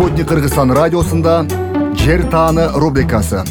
Спутник Кыргызстан радиосунда Жер тааны рубрикасы.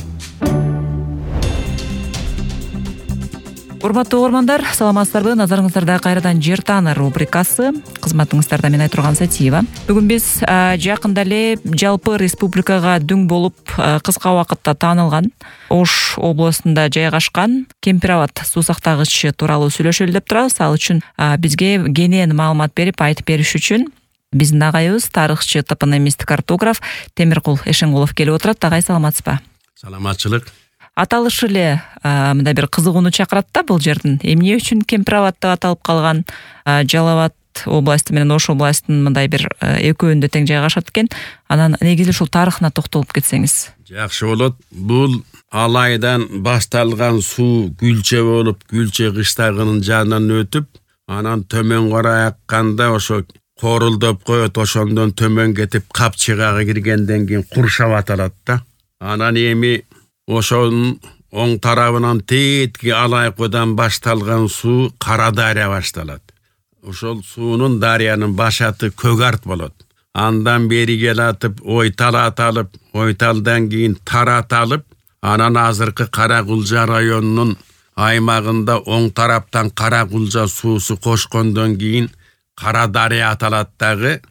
Урматтуу угармандар, саламатсыздарбы? Назарыңыздарда кайрадан Жер тааны рубрикасы. Кызматыңыздарда мен Айтурган Сатиева. Бүгүн биз жакында эле жалпы республикага дүң болуп кыска убакытта таанылган Ош областында жайгашкан Кемпир-Абад суу сактагычы тууралуу сүйлөшөлү деп турабыз. Ал үчүн бизге кенен маалымат берип айтып бериш үчүн биздин агайыбыз тарыхчы, топономист, картограф Темиркул Эшенгулов келип отурат. Агай, саламатсызбы? Саламатчылык. Аталышы эле мындай бир кызыгууну чакырат да бул жердин. Эмне үчүн Кемпир-Абад деп аталып калган? Жалал Абад областы менен Ош областынын мындай бир экөөндө тең жайгашат экен. Анан негизи ушул тарыхына токтолуп кетсеңиз. Жакшы болот. Бул Алайдан башталган суу Күлчө болуп, Күлчө кыштагынын жанынан өтүп, анан төмөн карай акканда ошо корулдоп коет, ошондон төмөн кетип Капчыгага киргенден кийин Куршап аталат да. Анан эми ошонун оң тарабынан тетки Алайкодан башталган суу Кара дарыя башталат. Ошол суунун дарыянын башаты Көк Арт болот. Андан бери келатып Ойтал аталып, Ойталдан кийин Тар аталып, анан азыркы Каракулжа районунун аймагында оң тараптан Каракулжа суусу кошкондон кийин Кара дарыя аталат дагы.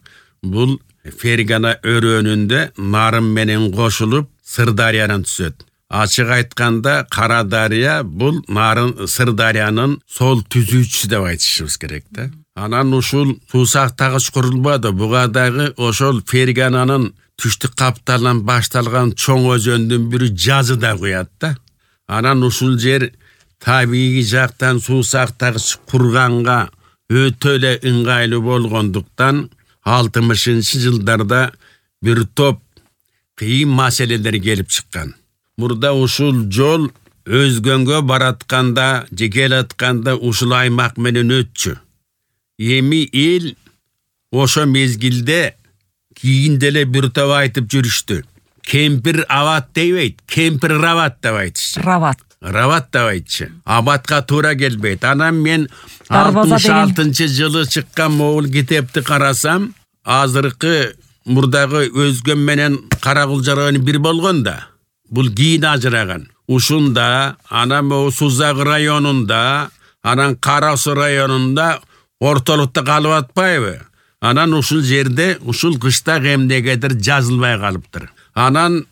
Бул Фергана өрөөнүндө Нарын менен кошулуп Сырдарыянан түшөт. Ачык айтканда Кара дарыя бул Нарын Сырдарыянын сол түзүүчүсү деп айтышыбыз керек да. Анан ушул суу сактагыч курулбады. Буга дагы ошол Фергананын түштүк капталынан башталган чоң өзөндүн бири Жазы да куят да. Анан ушул жер табигый жактан суу сактагыч курганга өтө эле ыңгайлуу болгондуктан 60-жылдарда бир топ кыйын маселелер келип чыккан. Мурда ушул жол өзгөнгө баратканда, же келатканда ушул аймак менен өтчү. Эми эл ошо мезгилде кийин деле бир топ айтып жүрүштү. Кемпир-Абад дебейт, Кемпир-Рабат деп айтышчы. Рабат деп айтчы. Абадка туура келбейт. Анан мен 66-жылы чыккан могул китепти карасам, азыркы мурдагы Өзгөн менен Каракулжа району бир болгон да. Бул кийин ажыраган. Ушунда, анан Сузак районунда, анан Кара Суу районунда ортолукта калып атпайбы? Анан ушул жерде ушул кыштак эмнегедир жазылбай калыптыр. Анан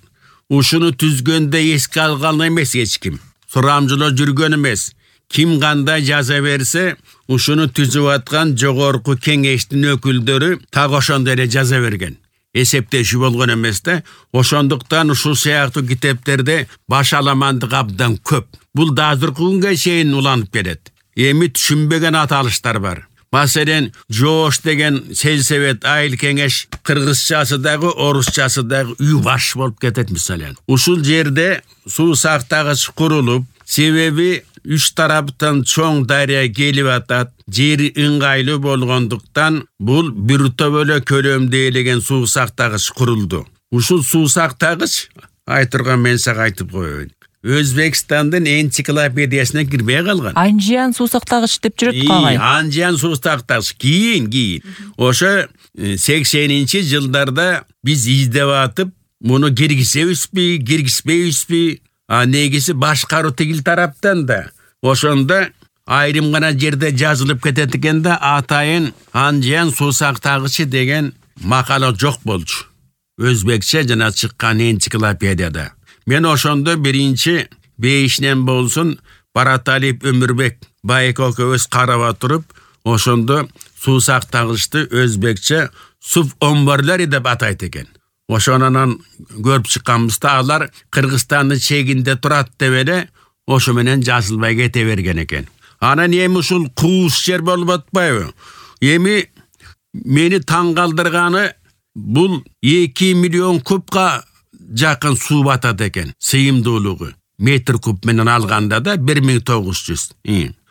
ушуну түзгөндө эске алган эмес эч ким. Сурамжылоо жүргөн эмес. Ким кандай жаза берсе, ушуну түзүп аткан жогорку кеңештин өкүлдөрү так ошондой эле жаза берген. Эсептешүү болгон эмес да. Ошондуктан ушул сыяктуу китептерде баш аламандык абдан көп. Бул да азыркы күнгө чейин уланып келет. Эми түшүнбөгөн аталыштар бар. Маселен, Жоош деген сельсовет айыл кеңеш кыргызчасы дагы, орусчасы дагы үй баш болуп кетет мисален. Ушул жерде суу сактагыч курулуп, себеби үч тараптан чоң дарыя келип атат, жери ыңгайлуу болгондуктан бул бир топ эле көлөмдө элеген суу сактагыч курулду. Ушул суу сактагыч Айтурган мен сага айтып коеюн. Өзбекстандын энциклопедиясына кирбей калган. Анжиян суу сактагыч деп жүрөт кагай. Анжиян суу сактагыч кийин. Ошо 80-жылдарда биз издеп атып, муну киргизбейбизби? Негизи башкаруу тигил тараптан да. Ошондо айрым гана жерде жазылып кетет экен да, атайын Анжиян суу сактагычы деген макала жок болчу. Өзбекче жана чыккан энциклопедияда. Мен ошондо биринчи бейишинен болсун Бараталиев Өмүрбек байке экөөбүз карап туруп, ошондо суу сактагычты өзбекче сув омборлори деп атайт экен. Ошонан көрүп чыкканбызда алар Кыргызстандын чегинде турат деп эле ошо менен жазылбай кете берген экен. Анан эми ушул кууш жер болуп атпайбы? Эми мени таң калтырганы бул 2 миллион кубка жакын суу батат экен. Сыйымдуулугу метр куб менен алганда да 1900.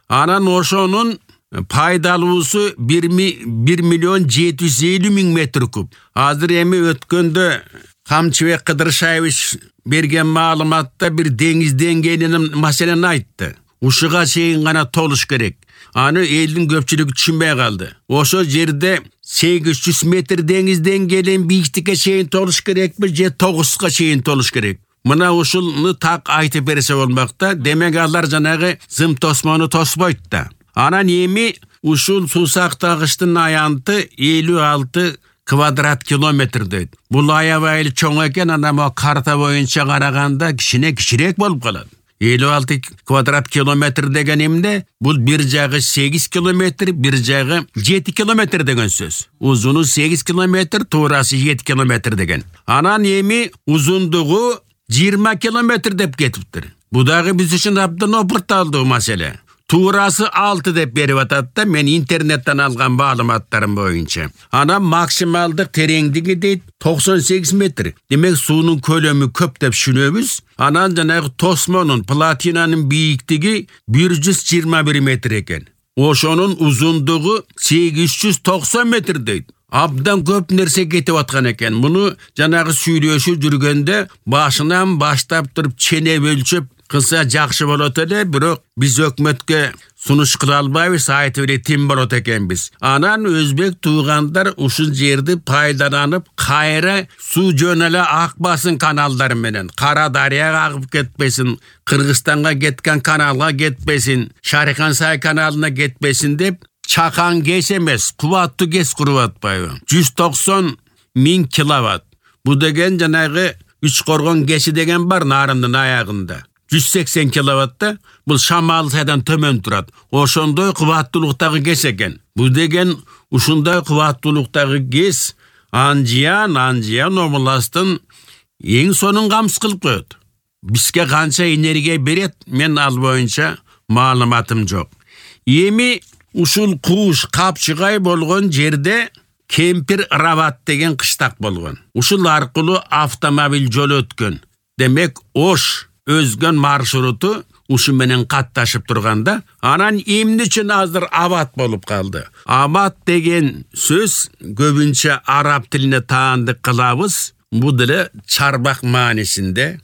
Анан ошонун пайдалуусу 1 миллион 750 миң метр куб. Азыр эми өткөндө Камчыбек Кыдыршаевич берген маалыматта бир деңиз деңгээлинин маселени айтты. Ушуга чейин гана толуш керек. Аны элдин көпчүлүгү түшүнбөй калды. Ошо жерде 800 метр деңизден келен бийиктикке чейин толуш керекпи же 9га чейин толуш керек? Мына ушуну так айтып берсе болмак да. Демек алар жанагы зым тосмону тоспойт да. Анан эми ушул суу сактагычтын аянты 56 квадрат километр дейт. Бул аябай чоң экен, анан карта боюнча караганда кичирээк болуп калат. 56 квадрат километр деген эмне? Бул бир жагы 8 километр, бир жагы 7 километр деген сөз. Узуну 8 километр, туурасы 7 километр деген. Анан эми узундугу 20 километр деп кетиптир. Бу дагы биз үчүн абдан опурталдуу маселе. Туурасы 6 деп берип атат да, мен интернеттен алган маалыматтарым боюнча. Анан максималдык тереңдиги дейт 98 метр. Демек суунун көлөмү көп деп түшүнөбүз. Анан жанагы тосмонун, платинанын бийиктиги 121 метр экен. Ошонун узундугу 890 метр дейт. Абдан көп нерсе кетип аткан экен. Муну жанагы сүйлөшүп жүргөндө башынан баштап туруп ченеп өлчөп кылса жакшы болот эле, бирок биз өкмөткө сунуш кыла албайбыз, айтып эле тим болот экенбиз. Анан өзбек туугандар ушул жерди пайдаланып, кайра суу жөнөлө акпасын каналдар менен. Кара дарыяга агып кетпесин, Кыргызстанга кеткен каналга кетпесин, Шарикансай каналына кетпесин деп чакан кес эмес, кубаттуу кес куруп атпайбы? 190 000 киловатт. Бу деген жанагы Үч Коргон кеши деген бар Нарындын аягында. 180 киловатта, бул Шамал сайдан төмөн турат. Ошондой кубаттуулуктагы кес экен. Бу деген ушундай кубаттуулуктагы кес Анжиян областын эң сонун камсыз кылып коет. Бизге канча энергия берет, мен ал боюнча маалыматым жок. Эми ушул кууш капчыгай болгон жерде Кемпир Рабат деген кыштак болгон. Ушул аркылуу автомобиль жол өткөн. Демек Ош өзгөн маршруту ушу менен катташып турганда, анан эмне үчүн азыр Абат болуп калды? Абат деген сөз көбүнчө араб тилине таандык кылабыз. Бул деле чарбак маанисинде,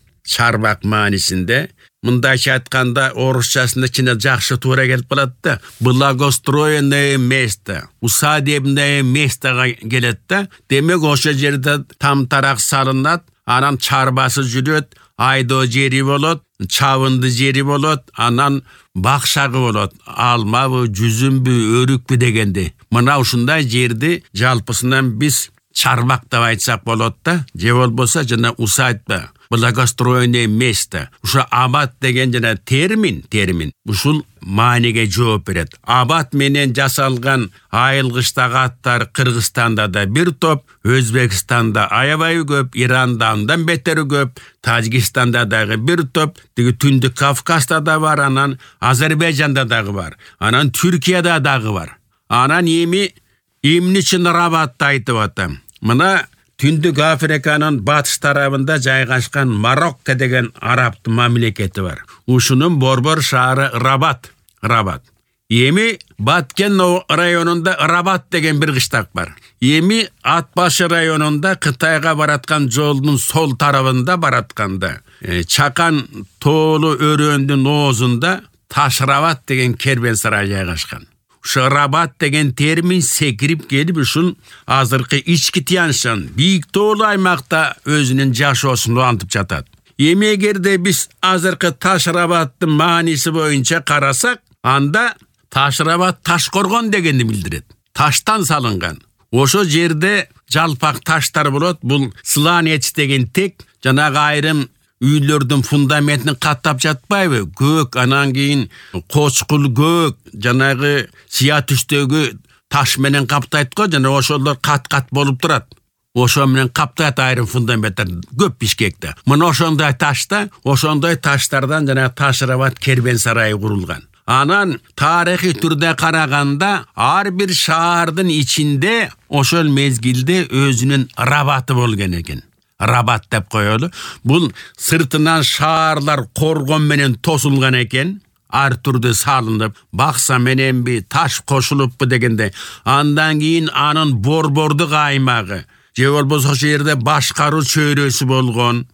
мындайча айтканда орусчасында чыны жакшы туура келип калат да. Благоустроенное место, усадебное местога келет да. Демек ошо жерде тамтарак салынат, анан чарбасы жүрөт, айдоо жери болот, чабынды жери болот, анан бакшагы болот. Алмабы, жүзүмбү, өрүкпү дегенде. Мына ушундай жерди жалпысынан биз чарбак деп айтсак болот да. Же болбосо жана усадьба, благоустроенное место. Ушу Абат деген жана термин. Ушул мааниге жооп берет. Абат менен жасалган айылгычтагы аттар Кыргызстанда да бир топ, Өзбекстанда аябай көп, Иранда андан бетери көп, Тажикстанда дагы бир топ, тиги Түндүк Кавказда да бар, анан Азербайжанда дагы бар, анан Түркияда дагы бар. Анан эмне үчүн Рабатты айтып атам? Мына Түндүк Африканын батыш тарабында жайгашкан Марокко деген араб мамлекети бар. Ушунун борбор шаары Рабат. Эми Баткен районунда Рабат деген бир кыштак бар. Эми Атбашы районунда Кытайга бараткан жолдун сол тарабында баратканда Чакан тоолу өрөөндүн оозунда Ташрабат деген кербен-сарай жайгашкан. Ушу Рабат деген термин секирип келип ушул азыркы ички Тянь-Шань бийик тоолу аймакта өзүнүн жашоосун улантып жатат. Эми эгерде биз азыркы Ташрабаттын мааниси боюнча карасак, анда Ташрабат Ташкоргон дегенди билдирет. Таштан салынган. Ошо жерде жалпак таштар болот. Бул сланец деген тек жанагы айрым үйлөрдүн фундаментин каттап жатпайбы? Көк, анан кийин кочкул көк, жанагы сыя түстөгү таш менен каптайт го, жана ошолор кат-кат болуп турат. Ошо менен каптайт айрым фундаменттер көп Бишкекте. Мына ошондой таштардан жана Ташрабат кербен-сарайы курулган. Анан тарыхый түрдө караганда ар бир шаардын ичинде ошол мезгилде өзүнүн Рабаты болгон экен. Рабат деп коелу. Бул сыртынан шаарлар коргон менен тосулган экен. Ар түрдө салынып, бакса мененби, таш кошулуппу дегенде. Андан кийин анын борбордук аймагы, же болбосо ошол жерде башкаруу чөйрөсү болгон,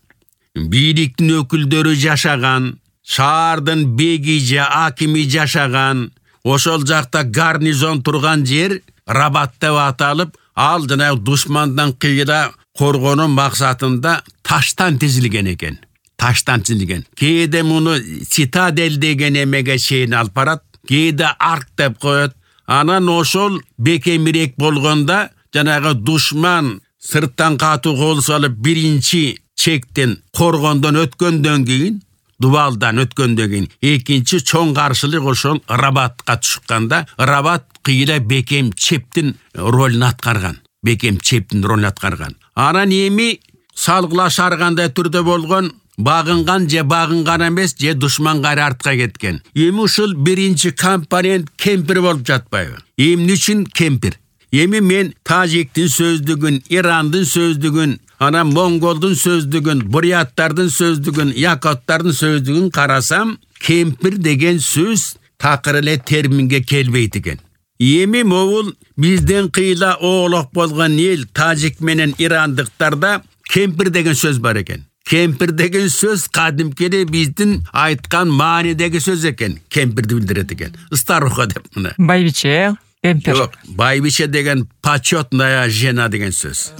бийликтин өкүлдөрү жашаган, шаардын беги же акими жашаган, ошол жакта гарнизон турган жер Рабат деп аталып, ал жанагы душмандан кыйла коргонуу максатында таштан тизилген экен. Таштан тизилген. Кээде муну цитадель деген эмеге чейин алып барат, кээде арк деп коет. Анан ошол бекемирээк болгондо жанагы душман сырттан катуу кол салып биринчи чектен коргондон өткөндөн кийин, Дубалдан өткөндөн кийин экинчи чоң каршылык ошол Рабатка чыкканда, Рабат кыйла бекем чептин ролун аткарган. Бекем чептин ролун аткарган. Анан эми салгылашаргандай түрдө болгон багынган же багынган эмес, же душман кайра артка кеткен. Эми ушул биринчи компонент кемпир болуп жатпайбы? Эмне үчүн кемпир? Эми мен тажиктин сөздүгүн, Ирандын сөздүгүн, анан монголдун сөздүгүн, буряттардын сөздүгүн, якоттардын сөздүгүн карасам, кемпир деген сөз такыр эле терминге келбейт экен. Эми могул бизден кыйла оолок болгон эл тажик менен ирандыктарда кемпир деген сөз бар экен. Кемпир деген сөз кадимкиде биздин айткан маанидеги сөз экен. Кемпирди билдирет экен. Старуха деп мына. Байбиче, кемпир. Жок, байбиче деген почетная жена деген сөз.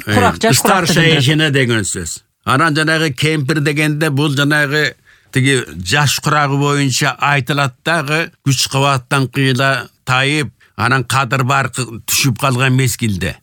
Старшая жена деген сөз. Анан жанагы кемпир дегенде бул жанагы тиги жаш курагы боюнча айтылат дагы күч кубаттан кыйла тайып, анан кадыр бар түшүп калган мезгилде.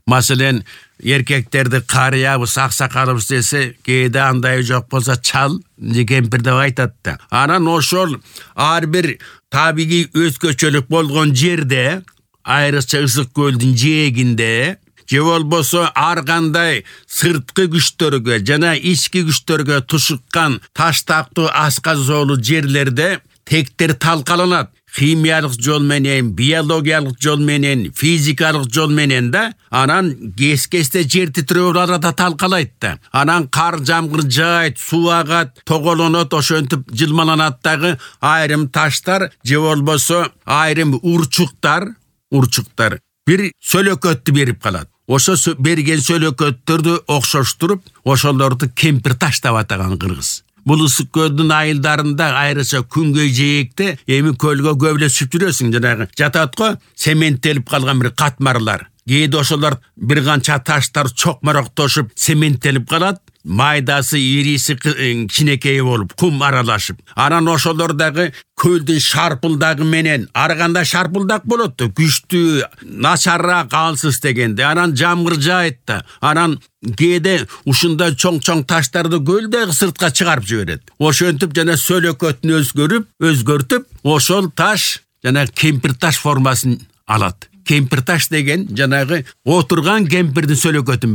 Маселен, эркектерди карыябыз, аксакалыбыз десе, кээде андай жок болсо чал, кемпир деп айтат да. Анан ошол ар бир табигый өзгөчөлүк болгон жерде, айрыкча Ысык көлдүн жээгинде, же болбосо ар кандай сырткы күчтөргө жана ички күчтөргө тушуккан таштактуу асказоолу жерлерде тектер талкаланат. Химиялык жол менен, биологиялык жол менен, физикалык жол менен да, анан кес-кесте жер титирөө арада талкалайт да. Анан кар жамгыр жаайт, суу агат, тоголонот, ошентип жылмаланат дагы айрым таштар, же болбосо айрым урчуктар бир сөлөкөттү берип калат. Ошо берген сөлөкөттөрдү окшоштуруп, ошолорду кемпир таш деп атаган кыргыз. Бул Ысык көлдүн айылдарында айрыкча күнгөй жээкте эми көлгө көбөлөшүп жүрөсүң, жанагы жатат го, цементтелип калган бир катмарлар. Кээде ошолор бир канча таштар чокмороктошуп цементтелип калат, майдасы, ириси кичинекей болуп, кум аралашып. Анан ошолор дагы көлдүн шарпылдагы менен, ар кандай шарпылдак болот да, күчтүү, начарраак, алсыз дегенде. Анан жамгыр жаайт да. Анан кээде ушундай чоң-чоң таштарды көлдөгү сыртка чыгарып жиберет. Ошентип жана сөлөкөтүн өзгөртүп, ошол таш жана кемпир таш формасын алат. Кемпир таш деген жанагы отурган кемпирдин сөлөкөтүн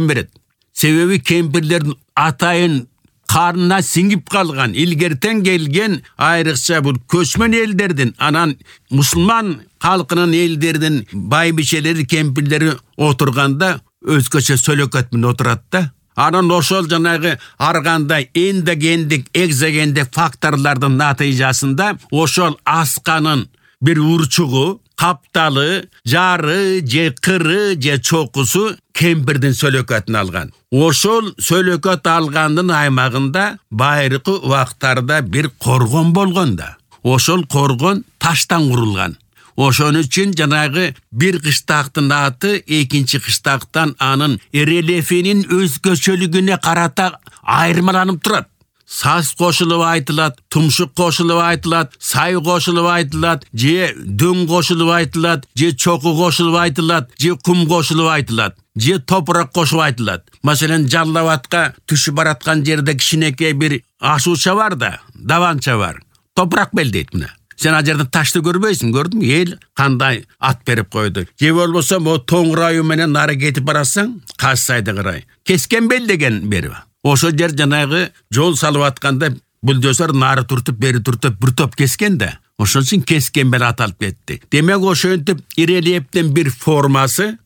берет. Себеби кемпирлердин атайын карнына сиңип калган, илгертен келген айрыкча бул көчмөн элдердин, анан мусулман калкынын элдердин байбичелери, кемпирлери отурганда өзгөчө сөлөкөт менен отурат да. Анан ошол жанагы ар кандай эндогендик, экзогендик факторлордун натыйжасында ошол асканын бир урчугу, капталы, жары, же кыры, же чокусу кемпирдин сөлөкөтүн алган. Ошол сөлөкөт алгандын аймагында байыркы убактарда бир коргон болгон да. Ошол коргон таштан курулган. Ошон үчүн жанагы бир кыштактын аты экинчи кыштактан анын рельефинин өзгөчөлүгүнө карата айырмаланып турат. Саз кошулуп айтылат, тумшук кошулуп айтылат, сай кошулуп айтылат, же дөң кошулуп айтылат, же чоку кошулуп айтылат, же кум кошулуп айтылат, же топурак кошуп айтылат. Маселен, Жалал Абадка түшүп бараткан жерде кичинекей бир ашууча бар да, даванча бар. Топурак бел дейт мына. Сен ал жерде ташты көрбөйсүң, көрдүңбү? Эл кандай ат берип койду. Же болбосо могу тоңурайы менен нары кетип барасаң, Кассайды карай. Кескен бел деген берип. Ошо жер жанагы жол салып атканда бульдозер нары туртуп, бери туртуп бир топ кескен да. Ошон үчүн кескен бел аталып кетти. Демек ошентип ирелептин бир формасы.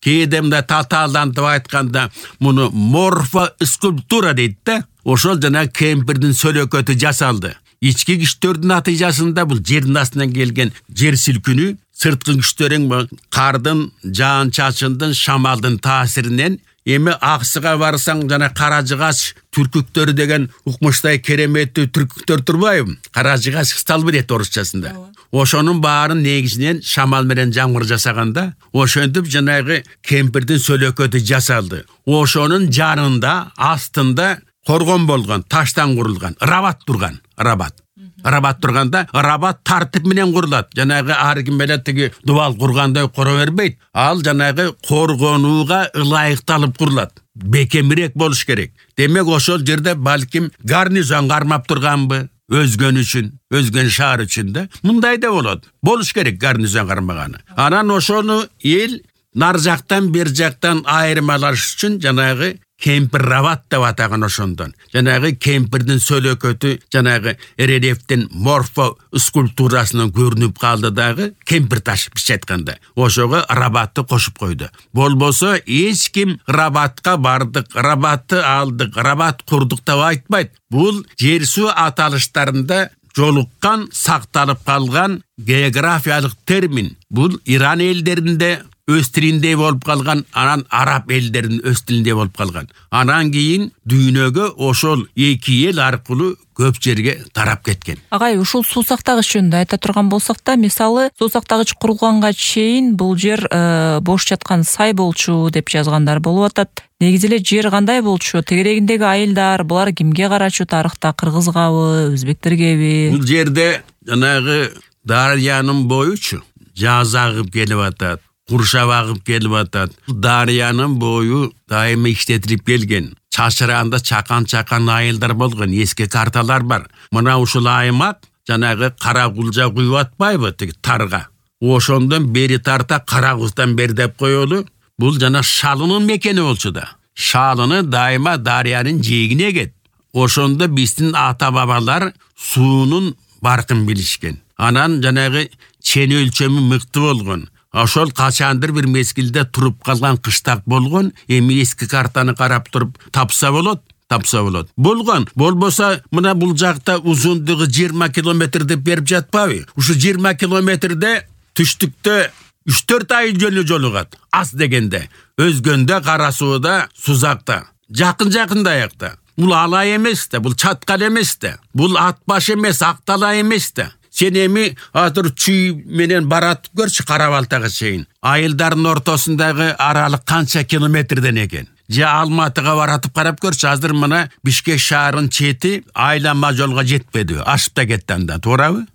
Кээде мында татаалдантып айтканда муну морфоскульптура дейт да. Ошол жана кемпирдин сөлөкөтү жасалды. Ички күчтөрдүн натыйжасында бул жердин астынан келген жер силкинүү, сырткы күчтөрүн кардын, жаан чачындын, шамалдын таасиринен Эми Аксыга барсаң жана Каражыгач түркүктөр деген укмуштай кереметтүү түркүктөр турбайбы? Каражыгач сталбырет орусчасында. Ошонун баарын негизинен шамал менен жамгыр жасаганда, ошентип жанагы кемпирдин сөлөкөтү жасалды. Ошонун жанында, астында коргон болгон, таштан курулган, рабат турган, рабат турганда, рабат тартип менен курулат. Жанагы ар ким эле тиги дубал кургандай кура бербейт. Ал жанагы коргонууга ылайыкталып курулат. Бекемирээк болуш керек. Демек ошол жерде балким гарнизон кармап турганбы? Өзгөн үчүн, өзгөн шаар үчүн да. Мындай да болот. Болуш керек гарнизон кармаганы. Анан ошону эл нар жактан бер жактан айырмалаш үчүн жанагы кемпир рабат деп атаган ошондон. Жанагы кемпирдин сөлөкөтү жанагы рельефтин морфо скульптурасынан көрүнүп калды дагы кемпир таш бизче айтканда. Ошого рабатты кошуп койду. Болбосо эч ким рабатка бардык, рабатты алдык, рабат курдук деп айтпайт. Бул жер суу аталыштарында жолуккан, сакталып калган географиялык термин. Бул Иран элдеринде өз тилинде болуп калган, анан араб элдеринин өз тилинде болуп калган. Анан кийин дүйнөгө ошол эки эл аркылуу көп жерге тарап кеткен. Агай, ушул суу сактагыч жөнүндө айта турган болсок да, мисалы, суу сактагыч курулганга чейин бул жер бош жаткан сай болчу деп жазгандар болуп атат. Негизи эле жер кандай болчу? Тегерегиндеги айылдар, булар кимге карачу тарыхта? Кыргызгабы, өзбектергеби? Бул жерде жанагы дарыянын боючу жаз агып келип атат. Куршап агып келип атат. Дарыянын бою дайыма иштетилип келген. Чачыранда чакан айылдар болгон, эски карталар бар. Мына ушул аймак жанагы Кара Кулжа куюп атпайбы тиги тарга. Ошондон бери тарта Кара Куздан бери деп коелу. Бул жана Шалынын мекени болчу да. Шалыны дайыма дарыянын жээгине эгет. Ошондо биздин ата-бабалар суунун баркын билишкен. Анан жанагы чен өлчөмү мыкты болгон. Ошол качандыр бир мезгилде туруп калган кыштак болгон. Эми эски картаны карап туруп тапса болот. Болгон. Болбосо мына бул жакта узундугу 20 километр деп берип жатпабы? Ушу 20 километрде түштүктө 3-4 айыл жолу жолугат. Аз дегенде. Өзгөндө Кара сууда, Сузакта. Жакын аякта. Бул Алай эмес да, бул Чаткал эмес да. Бул Атбаш эмес, Акталай эмес да. Сен эми азыр чүй менен барат көрчү Кара-Балтага чейин. Айылдардын ортосундагы аралык канча километрден экен. Же Алматыга баратып карап көрчү, азыр мына Бишкек шаарынын чети айланма жолго жетпеди. Ашып да кетти анда, туурабы?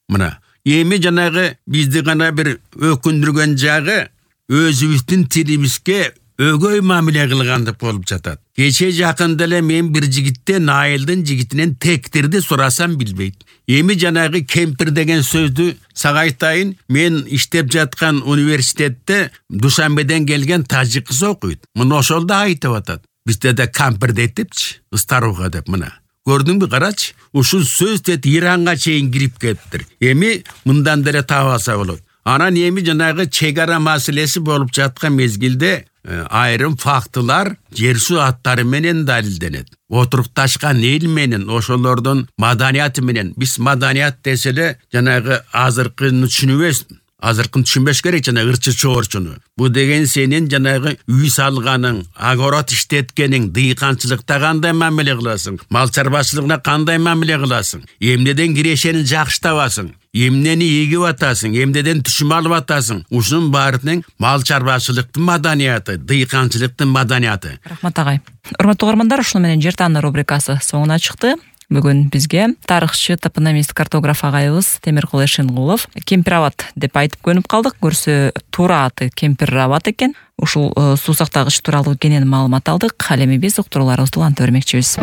Мына эми жанагы бизди гана бир өкүндүргөн жагы өзүбүздүн тилибизге өгөй мамиле кылгандык болуп жатат. Кече жакында эле мен бир жигиттен айылдын жигитинен тектирди сурасам билбейт. Эми жанагы кемпир деген сөздү сага айтайын, мен иштеп жаткан университетте Душанбеден келген тажик кыз окуйт. Мына ошол да айтып атат. Бизде да кампир дейтипчи, старуха деп мына. Көрдүңбү, карачы? Ушул сөз дет Иранга чейин кирип кетиптир. Эми мындан деле таап алса болот. Анан эми жанагы чегара маселеси болуп жаткан мезгилде айрым фактылар жер суу аттары менен далилденет. Отурукташкан эл менен, ошолордун маданияты менен. Биз маданият деселе жанагы азыркыны түшүнбөш керек, жана ырчы чоорчуну. Бу деген сенин жанагы үй салганың, огород иштеткениң, дыйканчылыкта кандай мамиле кыласың, мал чарбачылыгына кандай мамиле кыласың, эмнеден кирешени жакшы табасың, эмнени эгип атасың, эмнеден түшүм алып атасың. Ушунун баарынын мал чарбачылыктын маданияты, дыйканчылыктын маданияты. Рахмат агай. Урматтуу угармандар, ушуну менен Жер тааны рубрикасы соңуна чыкты. Бүгүн бизге тарыхчы, топономист, картограф агайыбыз Темиркул Эшенгулов Кемпир-Абад деп айтып көнүп калдык. Көрсө туура аты Кемпир-Абад экен. Ушул суу сактагыч тууралуу кенен маалымат алдык. Ал эми биз уктурууларыбызды уланта бермекчибиз.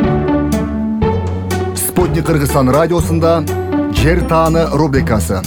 Спутник Кыргызстан радиосунда Жер тааны рубрикасы.